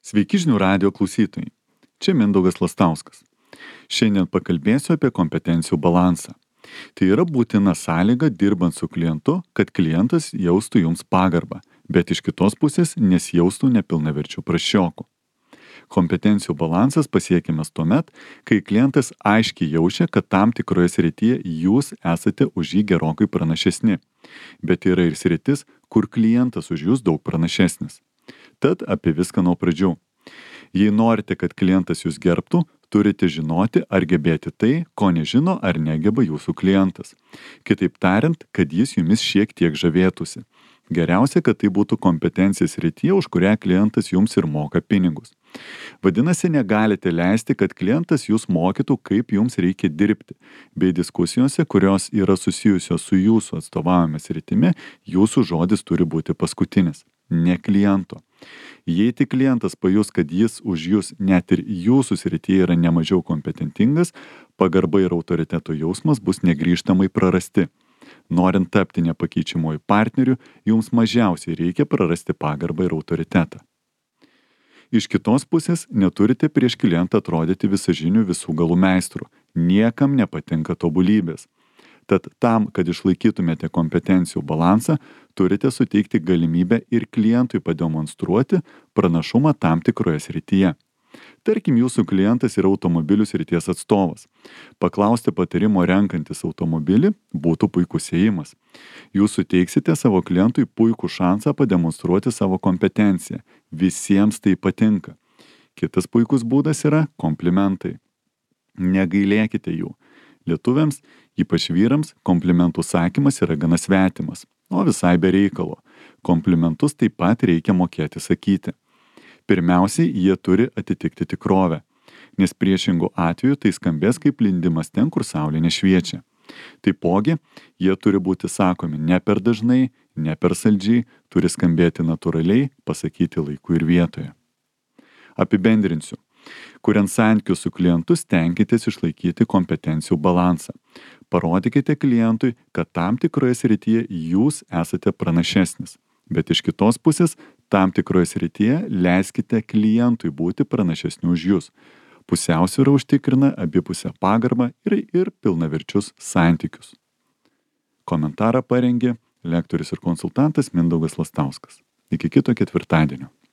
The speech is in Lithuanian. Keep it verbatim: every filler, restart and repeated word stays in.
Sveiki žinių radijo klausytojai. Čia Mindaugas Lastauskas. Šiandien pakalbėsiu apie kompetencijų balansą. Tai yra būtina sąlyga dirbant su klientu, kad klientas jaustų jums pagarbą, bet iš kitos pusės nesijaustų nepilnaverčių prašiokų. Kompetencijų balansas pasiekiamas tuomet, kai klientas aiškiai jaučia, kad tam tikroje srityje jūs esate už jį gerokai pranašesni, bet yra ir sritis, kur klientas už jūs daug pranašesnis. Tad apie viską nuo pradžių. Jei norite, kad klientas jūs gerbtų, turite žinoti ar gebėti tai, ko nežino ar negeba jūsų klientas. Kitaip tariant, kad jis jumis šiek tiek žavėtųsi. Geriausia, kad tai būtų kompetencija srityje, už kurią klientas jums ir moka pinigus. Vadinasi, negalite leisti, kad klientas jūs mokytų, kaip jums reikia dirbti, bei diskusijose, kurios yra susijusios su jūsų atstovaujama sritimi, jūsų žodis turi būti paskutinis, ne kliento. Jei tik klientas pajus, kad jis už jūs net ir jūsų srityje yra nemažiau kompetentingas, pagarba ir autoriteto jausmas bus negrįžtamai prarasti. Norint tapti nepakeičiamuoju partneriu, jums mažiausiai reikia prarasti pagarbą ir autoritetą. Iš kitos pusės neturite prieš klientą atrodyti visažinių visų galų meistrų. Niekam nepatinka tobulybės. Tad tam, kad išlaikytumėte kompetencijų balansą, turite suteikti galimybę ir klientui pademonstruoti pranašumą tam tikroje srityje. Tarkim, jūsų klientas yra automobilių srities atstovas. Paklausti patarimo renkantis automobilį būtų puikus ėjimas. Jūs suteiksite savo klientui puikų šansą pademonstruoti savo kompetenciją. Visiems tai patinka. Kitas puikus būdas yra komplimentai. Negailėkite jų. Lietuviams, ypač vyrams, komplimentų sakymas yra gana svetimas, o visai be reikalo. Komplimentus taip pat reikia mokėti sakyti. Pirmiausiai, jie turi atitikti tikrovę, nes priešingų atveju tai skambės kaip lindimas ten, kur saulė nešviečia. Taipogi, jie turi būti sakomi ne per dažnai, ne per saldžiai, turi skambėti natūraliai, pasakyti laiku ir vietoje. Apibendrinsiu. Kuriant santykius su klientu, stenkitės išlaikyti kompetencijų balansą. Parodykite klientui, kad tam tikroje srityje jūs esate pranašesnis, bet iš kitos pusės tam tikroje srityje leiskite klientui būti pranašesniu už jūs. Pusiausvyrą užtikrina abipusę pagarbą ir, ir pilnaverčius santykius. Komentarą parengė lektorius ir konsultantas Mindaugas Lastauskas. Iki kito ketvirtadienio.